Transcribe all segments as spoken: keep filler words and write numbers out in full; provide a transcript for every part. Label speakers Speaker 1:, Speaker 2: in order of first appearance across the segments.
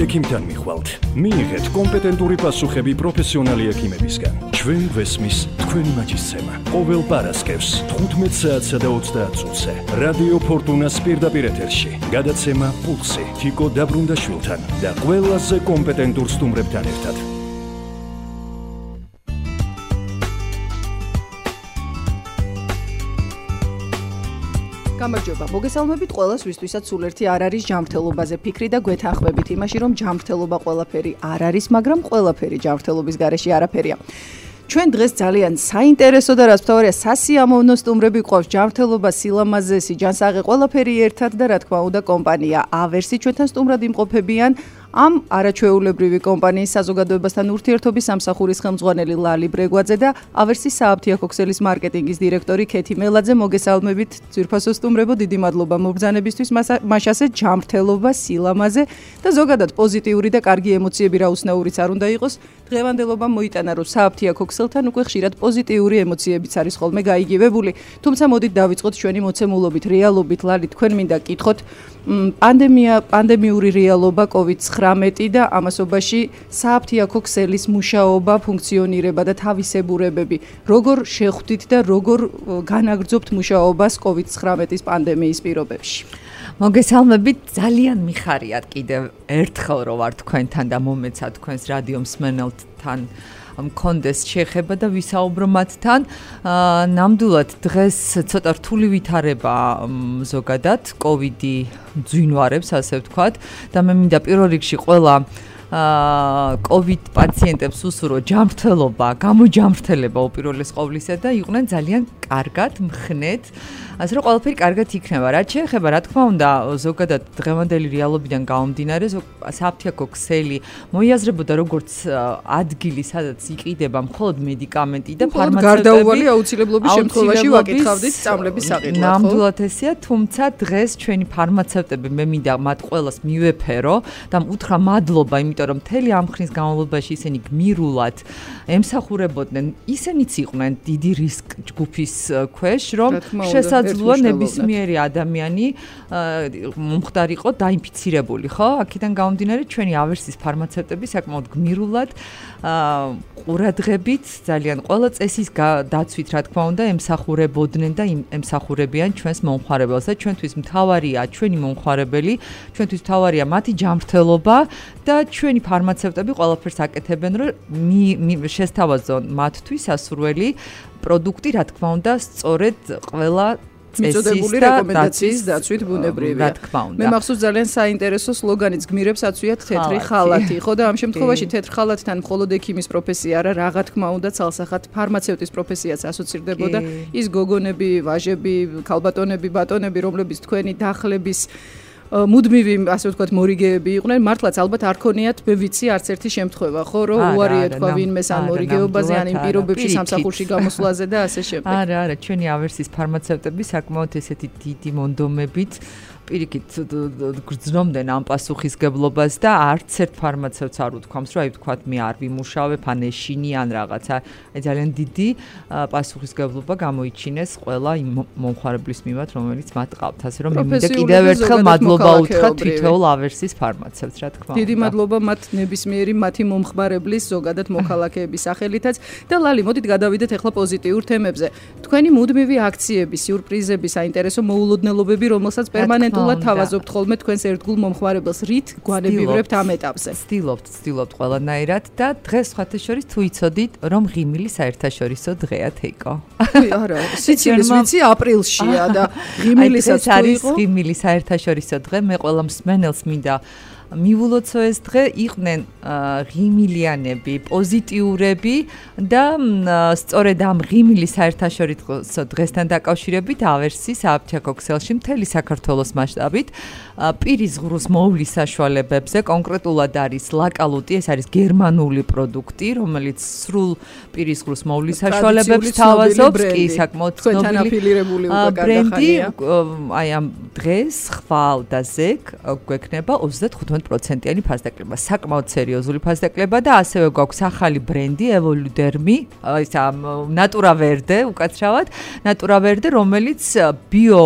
Speaker 1: ექიმთან მიხვალთ. მიიღეთ კომპეტენტური პასუხები პროფესიონალი ექიმებისგან. ჩვენ ვესმის თქვენი მაჯისცემა. ყოველ პარასკევს თხუთმეტ საათსა და ოცდაათ წუთზე. რადიო ფორტუნას პირდაპირ ეთერში. გადაცემა პულსი თიკო დაბრუნდაშვილთან და ყველაზე კომპეტენტურ სტუმრებთან ერთად.
Speaker 2: გამარჯობა, მოგესალმებით ყველას, ვისთვისაც სულ ერთი არ არის ჯანმრთელობაზე ფიქრი და გვეთანხმებით იმაში, რომ ჯანმრთელობა ყველაფერი არ არის, მაგრამ ყველაფერი ჯანმრთელობის გარეშე არაფერია. ჩვენ დღეს ძალიან საინტერესო და რაც მთავარია, სასიამოვნო სტუმრები გვყავს. ჯანმრთელობა, სილამაზე, სიჯანსაღე, ყველაფერი ერთად და რა თქმა უნდა კომპანია ავერსი ჩვენთან სტუმრად იმყოფებიან. ამ არაჩვეულებრივი კომპანიის საზოგადოებასთან ურთიერთობის სამსახურის ხელმძღვანელი ლალი ბრეგვაძე და ავერსის სააფთიაქო ქსელის მარკეტინგის დირექტორი ქეთი მელაძე. მოგესალმებით, ძვირფასო სტუმრებო, დიდი მადლობა მობრძანებისთვის, მაშასე ჯანმრთელობა, სილამაზე და ზოგადად პოზიტიური და კარგი ემოციები რა უცნაურიც არ უნდა იყოს. დღევანდელობა მოიტანა, რომ სააფთიაქო ქსელთან უკვე ხშირად პოზიტიური ემოციებიც არის ხოლმე გაიგივებული. თუმცა მოდით დავიწყოთ ჩვენი მოცემულობით, რეალობით. ლალი, თქვენ მინდა კითხოთ, პანდემია, პანდემიური რეალობა კოვიდ ცხრამეტი და ამასობაში სააფთიაქო ქსელის მუშაობა, ფუნქციონირება და თავისებურებები. როგორ შეხვდით და როგორ განაგრძობთ მუშაობას კოვიდ ცხრამეტის პანდემიის პირობებში?
Speaker 3: მოგესალმებით, ძალიან მიხარიათ კიდევ ერთხელ რომ ვარ თქვენთან და მომეცა თქვენს რადიო მსმენელთან მქონდეს შეხება და ვისაუბრო მათთან. ნამდვილად დღეს ცოტა რთული ვითარება ზოგადად კოვიდი ძვინვარებს, ასე ვთქვათ, და მე მინდა პირველ რიგში ყველა კოვიდ პაციენტებს უსურვო ჯანმრთელობა, გამოჯანმრთელება უპირველეს ყოვლისა და იყვნენ ძალიან კარგად, მხნეთ, ასე რომ ყველაფერი კარგად იქნება. რაც შეეხება, რა თქმა უნდა, ზოგადად დღევანდელი რეალობიდან გამომდინარე, სააფთიაქო ქსელი მოიაზრებოდა როგორც ადგილი, სადაც იყიდება მხოლოდ მედიკამენტი და ფარმაცევტები.
Speaker 2: გარდაუვალი აუცილებლობის შემთხვევაში ვაკითხავდით სწავლების საყიდლად, ხო?
Speaker 3: ნამდვილად ესეა, თუმცა დღეს ჩვენი ფარმაცევტები მე მინდა მათ ყველას მივეფერო და უთხრა მადლობა, იმიტომ რომ მთელი ამ ხნის განმავლობაში ისინი გმირულად ემსახურებოდნენ, ისინიც იყვნენ დიდი რისკ ჯგუფის ქვეშ, რომ შესაძლოა ნებისმიერი ადამიანი მომხდარიყო დაინფიცირებული, ხო? აქედან გამომდინარე, ჩვენი ავერსის ფარმაცევტები საკმაოდ გმირულად, ყურადღებით, ძალიან ყველა წესის დაცვით, რა თქმა უნდა, ემსახურებოდნენ და ემსახურებიან ჩვენს მომხმარებელს და ჩვენთვის მთავარია ჩვენი მომხმარებელი, ჩვენთვის მთავარია მათი ჯანმრთელობა და ჩვენი ფარმაცევტები ყველაფერს აკეთებენ, რომ შესთავაზონ მათთვის სასურველი პროდუქტი, რა თქმა უნდა, სწორედ ყველა
Speaker 2: მიწოდებული რეკომენდაციის დაცვით ბუნებრივია.
Speaker 3: რა თქმა უნდა.
Speaker 2: მე მახსოვს ძალიან საინტერესო სლოგანიც გმირებს აწვიათ თეთრი ხალათი, ხო და ამ შემთხვევაში თეთრ ხალათთან მხოლოდ ექიმის პროფესია არა, რა თქმა უნდა, ცალსახად ფარმაცევტის პროფესიაც ასოცირდებოდა. ის გოგონები, ვაჟები, ქალბატონები, ბატონები, რომლებიც თქვენი დახლების მუდმივი, ასე ვთქვათ, მორიგეები იყვნენ, მართლაც ალბათ არ ქონიათ, მე ვიცი, არც ერთი შემთხვევა, ხო, რომ უარი ეთქვა ვინმეს ამ მორიგეობაზე, ან იმ პირობებში სამსახურში გამოსვლაზე და ასე შემდეგ.
Speaker 3: არა, არა, ჩვენი ავერსის ფარმაცევტები საკმაოდ ესეთი დიდი მონდომებით პირიქით გრძნობდნენ ამ პასუხისგებლობას და არც ერთ ფარმაცევტს არ უთქვამს, რომ აი ვთქვათ, მე არ ვიმუშავებ, ან ეშინი, ან რაღაცა. აი ძალიან დიდი პასუხისგებლობა გამოიჩინეს ყველა იმ მომხმარებლის მიმართ, რომელიც მათ ყავთ. ასე რომ მე მინდა კიდევ ერთხელ მადლობა უთხრა თითოეულ ავერსის ფარმაცევტს, რა თქმა უნდა.
Speaker 2: დიდი მადლობა მათ ნებისმიერი მათი მომხმარებლის ზოგადად მოქალაქეების სახელითაც და ლალი, მოდით გადავიდეთ ახლა პოზიტიურ თემებზე. თქვენი მუდმივი აქციები, სიურპრიზები, საინტერესო მოულოდნელობები, რომელსაც პერმანენტ თავაზობთ ხოლმე თქვენს ერთგულ მომხმარებელს, რით გვანებივრებთ ამ ეტაპზე?
Speaker 3: ვცდილობთ, ვცდილობთ ყველანაირად და დღეს სხვათა შორის თუ იცოდით, რომ ღიმილი საერთაშორისო დღეა თეიკო.
Speaker 2: არა, სიცილის ვიცი აპრილშია და ღიმილისაც თუ
Speaker 3: არის ღიმილი საერთაშორისო დღე, მე ყველა მსმენელს მინდა მივულოცო ეს დღე, იყვნენ ღიმილიანები, პოზიტიურები და სწორედ ამ ღიმილის საერთაშორისო დღესთან დაკავშირებით ავერსის სააფთიაქო ქსელში მთელი საქართველოს მასშტაბით პირის ღრუს მოვლის საშუალებებზე, კონკრეტულად არის ლაკალუტი, ეს არის გერმანული პროდუქტი, რომელიც სრულ პირის ღრუს მოვლის საშუალებებს თავაზობს, კი საკმაოდ
Speaker 2: ცნობილი
Speaker 3: ბრენდი, აი ამ დღეს ხვალ და ზეგ გვექნება ოცდათხუთმეტ პროცენტიანი ფასდაკლება, საკმაოდ სერიოზული ფასდაკლება და ასევე გვაქვს ახალი ბრენდი ევოლუდერმი, ისა ნატურა ვერდე, უკაცრავად, ნატურა ვერდე, რომელიც ბიო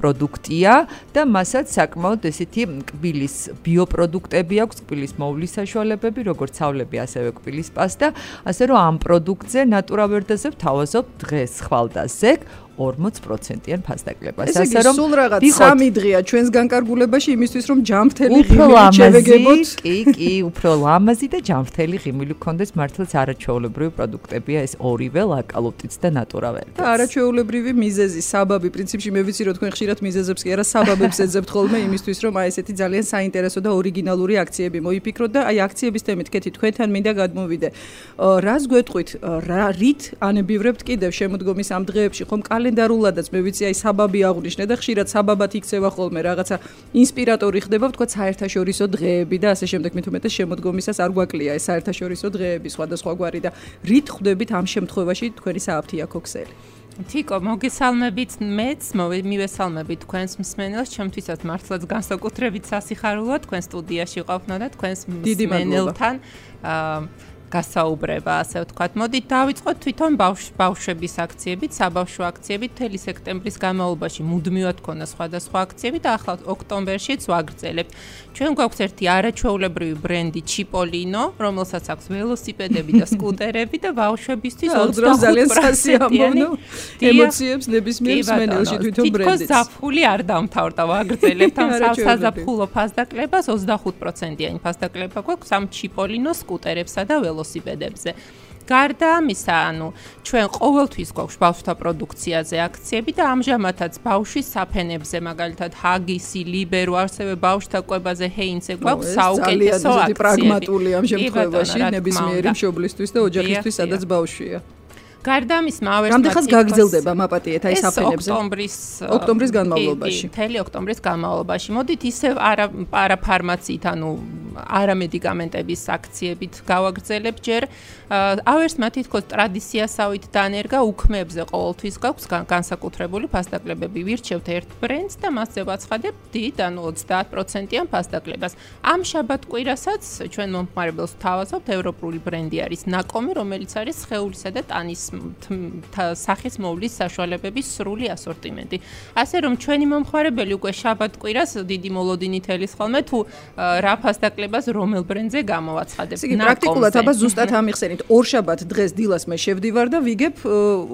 Speaker 3: პროდუქტია და მასაც საკმაოდ ესეთი კბილის ბიოპროდუქტები აქვს, კბილის მოვლის საშუალებები, როგორც ცავლები, ასევე კბილის პასტა, ასე რომ ამ პროდუქტზე ნატურავერდაზე ვთავაზობ დღეს ხვალდაზე ორმოც პროცენტიან ფასდაკლებას.
Speaker 2: ასე რომ სულ რაღაც სამი დღეა ჩვენს განკარგულებაში იმისთვის რომ ჯამრთელი
Speaker 3: ღიმილი შევეგებოთ. კი, კი, უფრო ლამაზი და ჯამრთელი ღიმილი გქონდეს, მართლაც არაჩვეულებრივი პროდუქტებია ეს ორივე ლაკალუტიც და ნატურავერდიც.
Speaker 2: და არაჩვეულებრივი მიზეზი, საბაბი, პრინციპში მე ვიცი რომ თქვენ ხშირად მიზეზებს კი არა საბაბებს ეძებთ ხოლმე იმისთვის რომ აი ესეთი ძალიან საინტერესო და ორიგინალური აქციები მოიფიქროთ და აი აქციების თემით კეთი თქვენთან მინდა გადმოვიდე. რას გვეტყვით, რა რით ანებივრებთ კიდევ შემოდგომის ამ დღეებში ხომ კალენდარულადაც მე ვიცი აი საბაბი აღნიშნე და ხშირად საბაბად იქცევა ხოლმე რაღაცა ინსპირატორი ხდება ვთქვა საერთაშორისო დღეები და ასე შემდეგ მით უმეტეს შემოდგომისას არ გვაკლია ეს საერთაშორისო დღეები სხვადასხვაგვარი და რით ხვდებით ამ შემთხვევაში თქვენი სააფთიაქო ქსელი
Speaker 4: თიკო მოგესალმებით მეც მივესალმებით თქვენს მსმენელს ჩემთვისაც მართლაც განსაკუთრებით სასიხარულოა თქვენ სტუდიაში ყოფნა და თქვენს მსმენელთან გასაუბრება, ასე ვთქვათ. მოდით დავიწყოთ თვითონ ბავშვების აქციებით, საბავშვო აქციებით. მთელი სექტემბრის განმავლობაში მუდმივად ქონა სხვადასხვა აქციები და ახლა ოქტომბერშიც ვაგრძელებთ. ჩვენ გვაქვს ერთი არაჩვეულებრივი ბრენდი ჩიპოლინო, რომელსაც აქვს ველოსიპედები და სკუტერები და ბავშვებისთვის
Speaker 2: ძალიან სასიამოვნო ემოციებს ნებისმიერ მსმენელში თვითონ ბრენდიც.
Speaker 4: თითქოს ზაფხული არ დამთავრდა ვაგრძელებთ ამ საზაფხულო ფასდაკლებას ოცდახუთ პროცენტიანი ფასდაკლება გვაქვს ამ ჩიპოლინო სკუტერებსა და ველოსიპედებზე. ველოსიპედებზე. გარდა ამისა, ანუ ჩვენ ყოველთვის გვაქვს ბავშვთა პროდუქციაზე აქციები და ამჟამადაც ბავშვის საფენებზე, მაგალითად ჰაგისი, ლიბერო, ასევე ბავშვთა კვებაზე ჰეინზე გვაქვს საუკეთესო აქციები.
Speaker 2: ძალიან პრაგმატული ამ შემთხვევაში ნებისმიერი მშობლისთვის და ოჯახისთვის, სადაც ბავშვია.
Speaker 4: გარდა ამის მავე
Speaker 2: რამდენხანს გაგრძელდება მაპატიეთ აი საფენებზე?
Speaker 4: ოქტომბრის
Speaker 2: ოქტომბრის განმავლობაში.
Speaker 4: მთელი ოქტომბრის განმავლობაში. მოდით ისევ არა პარაფარმაციით, ანუ არამედიკამენტების აქციებით გავაგრძელებ ჯერ. ავერსმა თითქოს ტრადიციასავით დანერგა უქმებზე ყოველთვის გვაქვს განსაკუთრებული ფასდაკლებები. ვირჩევთ ერთ ბრენდს და მასზე ვაცხადებ დიდ, ანუ ოცდაათ პროცენტიან ფასდაკლებას. ამ შაბათ-კვირასაც ჩვენ მომხმარებელს ვთავაზობთ ევროპული ბრენდი არის ნაკომი, რომელიც არის სხეულისა და ტანის სახის მოვლის საშუალებების სრული ასორტიმენტი. ასე რომ ჩვენი მომხმარებელი უკვე შაბათ-კვირას დიდი მოლოდინით ელის ხოლმე თუ რა ფასდაკლებას რომელ ბრენდზე გამოვაცხადებ.
Speaker 2: იგი პრაქტიკულად აბა ზუსტად ამიხსენით. ორ შაბათ დღეს დილას მე შევდივარ და ვიგებ,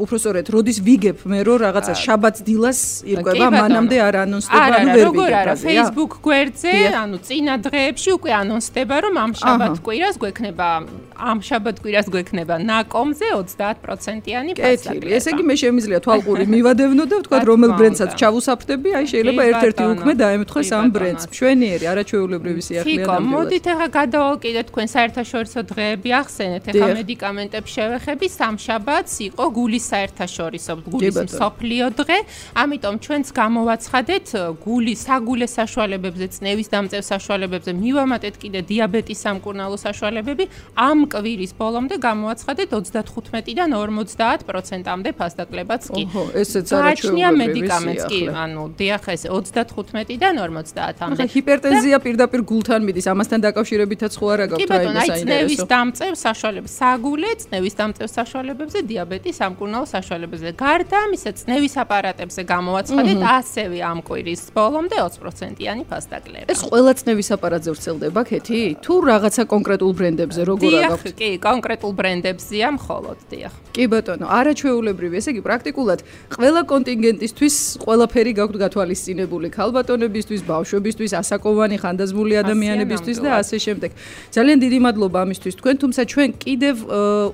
Speaker 2: უბრალოდ როდის ვიგებ მე რომ რაღაცა შაბათს დილას ირკვება, მანამდე არ ანონსდება, ანუ ვერ ვიგებ.
Speaker 4: არა, Facebook გვერდზე, ანუ წინა დღეებში უკვე ანონსდება, რომ ამ შაბათ-კვირას გვექნება, ამ შაბათ-კვირას გვექნება ნაკომზე ოცდაათ პროცენტიანი ფასდაკლება.
Speaker 2: ესე იგი მე შემიძლია თვალყური მივადევნო და ვთქვა რომელ ბრენდსაც ჩავუსაფრთხები, აი შეიძლება ერთ-ერთი უქმე დაემთხოს ამ ბრენდს. მშვენიერი, არაჩვეულებრივი სიახლეა
Speaker 4: და მოდით ახლა გადავალკიდეთ თქვენ საერთაშორისო დღეები ახსენეთ. ახლა მედიკამენტებს შევეხები, სამშაბათს იყო გულის საერთაშორისო გულის მსოფლიო დღე, ამიტომ ჩვენც გამოვაცხადეთ გული საგულე საშუალებებზე, წნევის დამწევ საშუალებებზე, მივამატეთ კიდე დიაბეტის სამკურნალო საშუალებები, ამ კვირის ბოლომდე გამოვაცხადეთ ოცდახუთმეტიდან ორმოცდაათ პროცენტამდე ფასდაკლებაც კი.
Speaker 2: ოჰო, ესეც არაჩვეულებრივი
Speaker 4: მედიკამენტს კი, ანუ დიახ, ეს ოცდახუთმეტიდან ორმოცდაათამდე.
Speaker 2: ჰიპერტენზია პირდაპირ გულთან მიდის, ამასთან დაკავშირებითაც ხო არა გაქვთ
Speaker 4: აი ეს საინტერესო. წნევის დამწევ საშუალებებს, საგულე წნევის დამწევ საშუალებებზე, დიაბეტის სამკურნალო საშუალებებზე. გარდა ამისა, წნევის აპარატებზე გამოვაცხადეთ ასევე ამ კვირის ბოლომდე ოცი პროცენტიანი ფასდაკლება.
Speaker 2: ეს ყველა წნევის აპარატზე ვრცელდება, ქეთი? თუ რაღაცა კონკრეტულ ბრენდებზე როგორ
Speaker 4: აგაქვთ? დიახ, კი, კონკრეტულ ბრენდებზეა მხოლოდ, დიახ.
Speaker 2: კი ბატონო, არაჩვეულებრივი, ესე იგი პრაქტიკულად ყველა კონტინგენტისთვის ყველაფერი გაქვთ გათვალისწინებული, ქალბატონებისთვის, ბავშვებისთვის, ასაკოვანი, ხანდაზმული ადამიანებისთვის და ასე შემდეგ. ძალიან დიდი მადლობა ამისთვის თქვენ, თუმცა ჩვენ კიდევ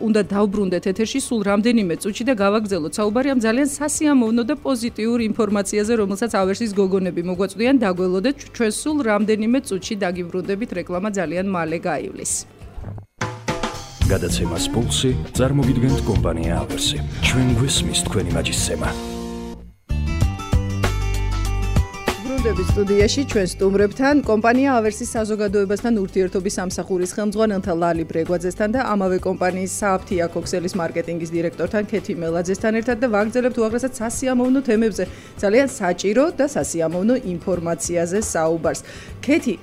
Speaker 2: უნდა დავბრუნდეთ ეთერში სულ რამდენიმე წუთში და გავაგრძელოთ საუბარი ამ ძალიან სასიამოვნო და პოზიტიურ ინფორმაციაზე, რომელსაც ავერსის გოგონები მოგვაწვდიან, დაგველოდეთ ჩვენ სულ რამდენიმე წუთში დაგიბრუნდებით, რეკლამა ძალიან მალე გაივლის.
Speaker 1: გადაცემას პულსი წარმოგიდგენთ კომპანია ავერსი. ჩვენ გვესმის თქვენი მაჯისცემა.
Speaker 2: ვიხვდებით სტუდიაში ჩვენ სტუმრებთან კომპანია ავერსის საზოგადოებასთან ურთიერთობის სამსახურის ხელმძღვანელთა ლალი ბრეგვაძესთან და ამავე კომპანიის სააფთიაქო ქსელის მარკეტინგის დირექტორთან ქეთი მელაძესთან ერთად და ვაგრძელებთ უაღრესად სასიამოვნო თემებზე, ძალიან საჭირო და სასიამოვნო ინფორმაციაზე საუბარს. ქეთი,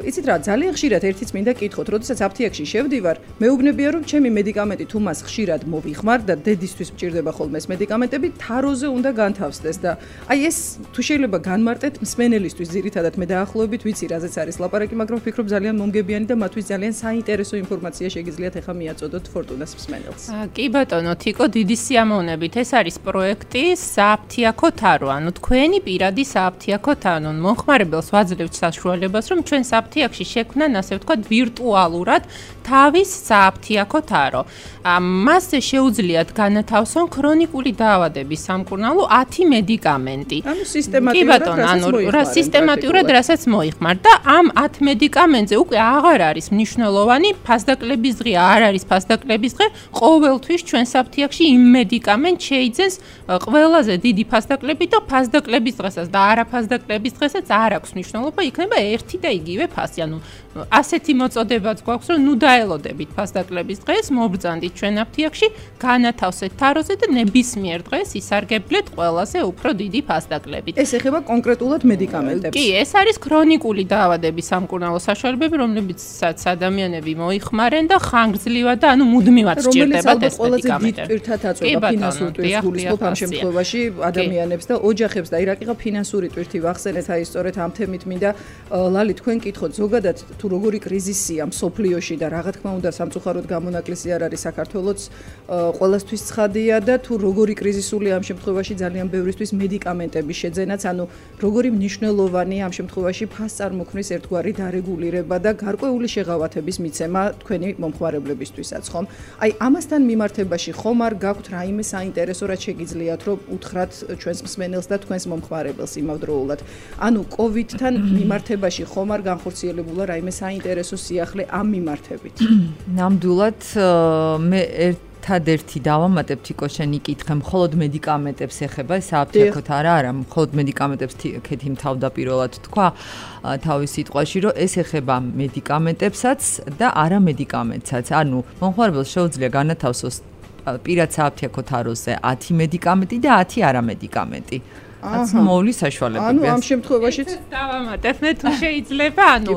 Speaker 2: იცით რა, ძალიან ხშირად ერთიც მინდა კითხოთ, როდესაც აფთიაქში შევდივარ, მეუბნებია რომ ჩემი მედიკამენტი თუ მას ხშირად მოვიხმარ და დედისთვის მჭირდება ხოლმე ეს მედიკამენტები, თაროზე უნდა განთავსდეს და აი ეს თუ შეიძლება განმარტეთ მსმენელისთვის ძირითადად მე დაახლოებით ვიცი რაზეც არის ლაპარაკი, მაგრამ ვფიქრობ ძალიან მომგებიანი და მათთვის ძალიან საინტერესო ინფორმაცია შეგიძლიათ ახლა მიაწოდოთ ფორტუნას მსმენელს.
Speaker 4: კი ბატონო, თიკო, დიდი სიამოვნებით. ეს არის პროექტი სააფთიაქო თარო, ანუ თქვენი პირადი სააფთიაქო თარო. მომხმარებელს ვაძლევთ საშუალებას, რომ ჩვენ სააფთიაქში შექმნან, ასე ვთქვათ, ვირტუალურად თავის სააფთიაქო თარო. მასზე შეუძლიათ განათავსონ ქრონიკული დაავადების სამკურნალო ათი მედიკამენტი.
Speaker 2: ანუ სისტემატურად
Speaker 4: ანუ რა სისტემატურად რასაც მოიხმარ და ამ ათ მედიკამენტზე უკვე აღარ არის მნიშვნელოვანი ფასდაკლების დღე, არ არის ფასდაკლების დღე, ყოველთვის ჩვენ საფთიაქში იმ მედიკამენტს შეიძენს ყველაზე დიდი ფასდაკლები და ფასდაკლების დღესაც და არა ფასდაკლების დღესაც არ აქვს მნიშვნელობა, იქნება ერთი და იგივე ფასი. ანუ ასეთი მოწოდებაც გვაქვს, რომ ნუ დაელოდებით ფასდაკლების დღეს, მობრძანდით ჩვენ აფთიაქში, განათავსეთ თაროზე და ნებისმიერ დღეს ისარგებლეთ ყველაზე უფრო დიდი ფასდაკლებით.
Speaker 2: ეს ეხება კონკრეტულად მედიკამენტებს.
Speaker 4: კი, ეს არის ქრონიკული დაავადების სამკურნალო საშუალებები, რომლებიცაც ადამიანები მოიხმარენ და ხანგრძლივად და ანუ მუდმივად სჭირდებათ ეს მედიკამენტები.
Speaker 2: რომელიც პირთად აწვება ფინანსურ ტვირთს გულისხმობ ამ შემთხვევაში ადამიანებს და ოჯახებს და აი რა კიდე ფინანსური ტვირთი ვახსენეთ, აი სწორედ ამ თემით მინდა ლალი თქვენ კითხოთ ზოგადად თუ როგორი კრიზისია მსოფლიოში და რა თქმა უნდა სამწუხაროდ გამონაკლისი არ არის საქართველოს ყველასთვის ცხადია და თუ როგორი კრიზისული ამ შემთხვევაში ძალიან ბევრისთვის მედიკამენტების შეძენაც, ანუ როგორი მნიშვნელოვანი ამ შემთხვევაში ფასწარმოქმნის ერთგვარი დარეგულირება და გარკვეული შეღავათების მიცემა თქვენი მომხმარებლებისთვისაც, ხომ? აი ამასთან მიმართებაში ხომ არ გაქვთ რაიმე საინტერესო, რაც შეგიძლიათ რომ უთხრათ ჩვენს მსმენელს და თქვენს მომხმარებელს იმავდროულად. ანუ კოვიდთან მიმართებაში ხომ არ განხორციელებულა რაიმე საინტერესო სიახლე ამ მიმართებით?
Speaker 3: ნამდვილად მე ერთადერთი დავამატებ თიკო შენი კითხე, მხოლოდ მედიკამენტებს ეხება, სააფთიაქოთ არა, არა, მხოლოდ მედიკამენტებს ქეთი თავდაპირველად თქვა თავის სიტყვაში, რომ ეს ეხება მედიკამენტებსაც და არა მედიკამენტსაც. ანუ მომხმარებელს შეუძლია განათავსოს პირად სააფთიაქო თაროზე ათი მედიკამენტი და ათი არა მედიკამენტი. ასე მოვლის საშუალებები.
Speaker 2: ანუ ამ შემთხვევაშიც
Speaker 4: დავამატებ მე თუ შეიძლება, ანუ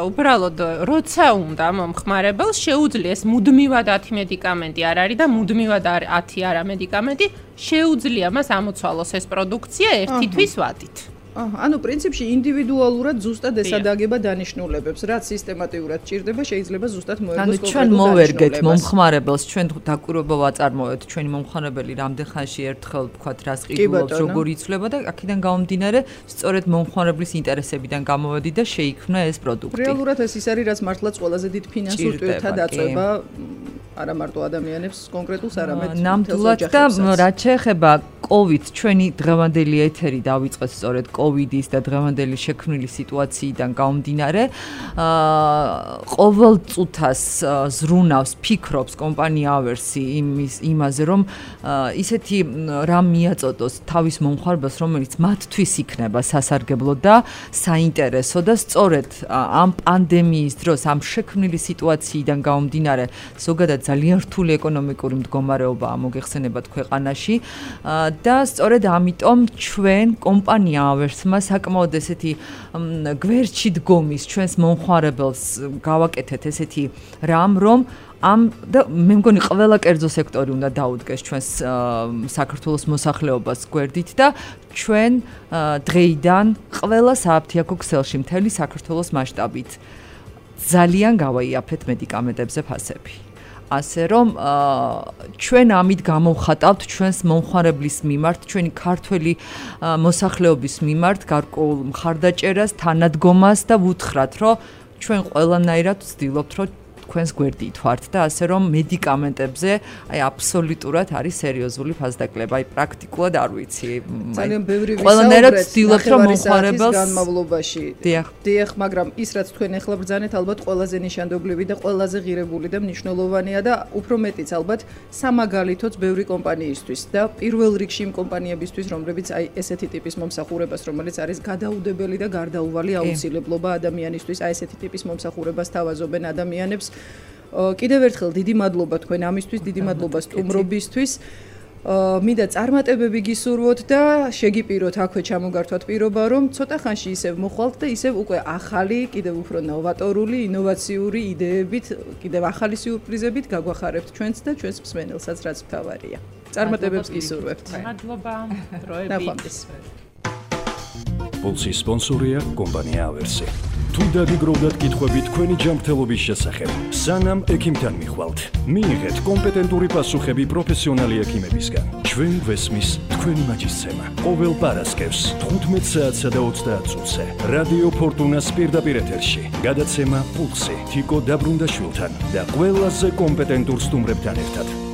Speaker 4: უბრალოდ როცა უნდა მომხმარებელს შეუძლია ეს მუდმივად ათი მედიკამენტი არ არის და მუდმივად ათი არა მედიკამენტი, შეუძლია მას ამოცვალოს ეს პროდუქცია ერთი თვის ვადით.
Speaker 2: ანუ პრინციპში ინდივიდუალურად ზუსტად ეს ადაგება დანიშნულებებს, რაც სისტემატიურად ჭირდება, შეიძლება ზუსტად მოერგოს
Speaker 3: კონკრეტულ დანიშნულებას. ანუ ჩვენ მოვერგეთ მომხმარებელს, ჩვენ დაკვირვება ვაწარმოეთ, ჩვენი მომხმარებელი რამდენ ხანში ერთხელ ვთქვათ, რას ყიდულობს, როგორ იცვლება და აქედან გამომდინარე, სწორედ მომხმარებლის ინტერესებიდან გამოვედი და შეიქმნა ეს პროდუქტი.
Speaker 2: რეალურად ეს ის არის, რაც მართლაც ყველაზე დიდ ფინანსურ ტვირთად აწვება არა მარტო ადამიანებს, კონკრეტულს არამედ
Speaker 3: ნამდვილად და რაც შეეხება კოვიდ, ჩვენი დღევანდელი ეთერი დავიწყეთ სწორედ კოვიდის და დღევანდელი შექმნილი სიტუაციიდან გამომდინარე, ყოველ წუთას ზრუნავს, ფიქრობს კომპანია ავერსი იმის იმაზე, რომ ისეთი რამ მიაწოდოს თავის მომხმარებელს, რომელიც მათთვის იქნება სასარგებლო და საინტერესო და სწორედ ამ პანდემიის დროს, ამ შექმნილი სიტუაციიდან გამომდინარე, ზოგადად ძალიან რთული ეკონომიკური მდგომარეობაა მოგეხსენებათ ქვეყანაში და სწორედ ამიტომ ჩვენ კომპანია ავერსმა საკმაოდ ესეთი გვერდში დგომის ჩვენს მომხმარებელს გავაკეთეთ ესეთი რამ, რომ ამ და მე მგონი ყველა კერძო სექტორი უნდა დაუდგეს ჩვენს საქართველოს მოსახლეობას გვერდით და ჩვენ დღეიდან ყველა სააფთიაქო ქსელში მთელი საქართველოს მასშტაბით ძალიან გავაიაფეთ მედიკამენტებზე ფასები. ასე რომ ჩვენ ამით გამოვხატავთ ჩვენს მომხმარებლის მიმართ, ჩვენი ქართველი მოსახლეობის მიმართ გარკვეულ მხარდაჭერას, თანადგომას და ვუთხრათ, რომ ჩვენ ყველანაირად ვცდილობთ, რომ თქვენს გვერდით ვართ და ასე რომ მედიკამენტებზე აი აბსოლუტურად არის სერიოზული ფასდაკლება, აი პრაქტიკულად არ ვიცი.
Speaker 2: ძალიან ბევრი
Speaker 3: ყველანაირად ვცდილობთ რომ მომხმარებელს
Speaker 2: განმავლობაში.
Speaker 3: დიახ.
Speaker 2: დიახ, მაგრამ ის რაც თქვენ ახლა ბრძანეთ, ალბათ ყველაზე ნიშანდობლივი და ყველაზე ღირებული და მნიშვნელოვანია და უფრო მეტიც ალბათ სამაგალითოც ბევრი კომპანიისთვის და პირველ რიგში იმ კომპანიებისთვის, რომლებიც აი ესეთი ტიპის მომსახურებას, რომელიც არის გადაუდებელი და გარდაუვალი აუცილებლობა ადამიანისთვის, აი ესეთი ტიპის მომსახურებას თავაზობენ ადამიანებს. კიდევ ერთხელ დიდი მადლობა თქვენ ამისთვის, დიდი მადლობა სტუმრობისთვის. მინდა წარმატებები გისურვოთ და შეგიპიროთ აქვე ჩამოგართვათ პირობა, რომ ცოტა ხანში ისევ მოხვალთ და ისევ უკვე ახალი, კიდევ უფრო ნოვატორული, ინოვაციური იდეებით, კიდევ ახალი სიურპრიზებით გაგვახარებთ ჩვენც და ჩვენს მსმენელსაც, რაც მთავარია. წარმატებებს გისურვებთ.
Speaker 4: მადლობა. დროებით.
Speaker 2: ნახვამდის.
Speaker 1: Pulsi sponsoria kompania Aversi. თუ დაგიგროვდათ კითხვები თქვენი ჯანმრთელობის შესახებ, სანამ ექიმთან მიხვალთ, მიიღეთ კომპეტენტური პასუხები პროფესიონალი ექიმებისგან. ჩვენ გვესმის თქვენი მაჯისცემა. ყოველ პარასკევს თხუთმეტ საათსა და ოცდაათ წუთზე რადიო ფორტუნას პირდაპირ ეთერში. გადაცემა პულსი თიკო დაბრუნდაშვილთან და ყველაზე კომპეტენტურ სტუმრებთან ერთად.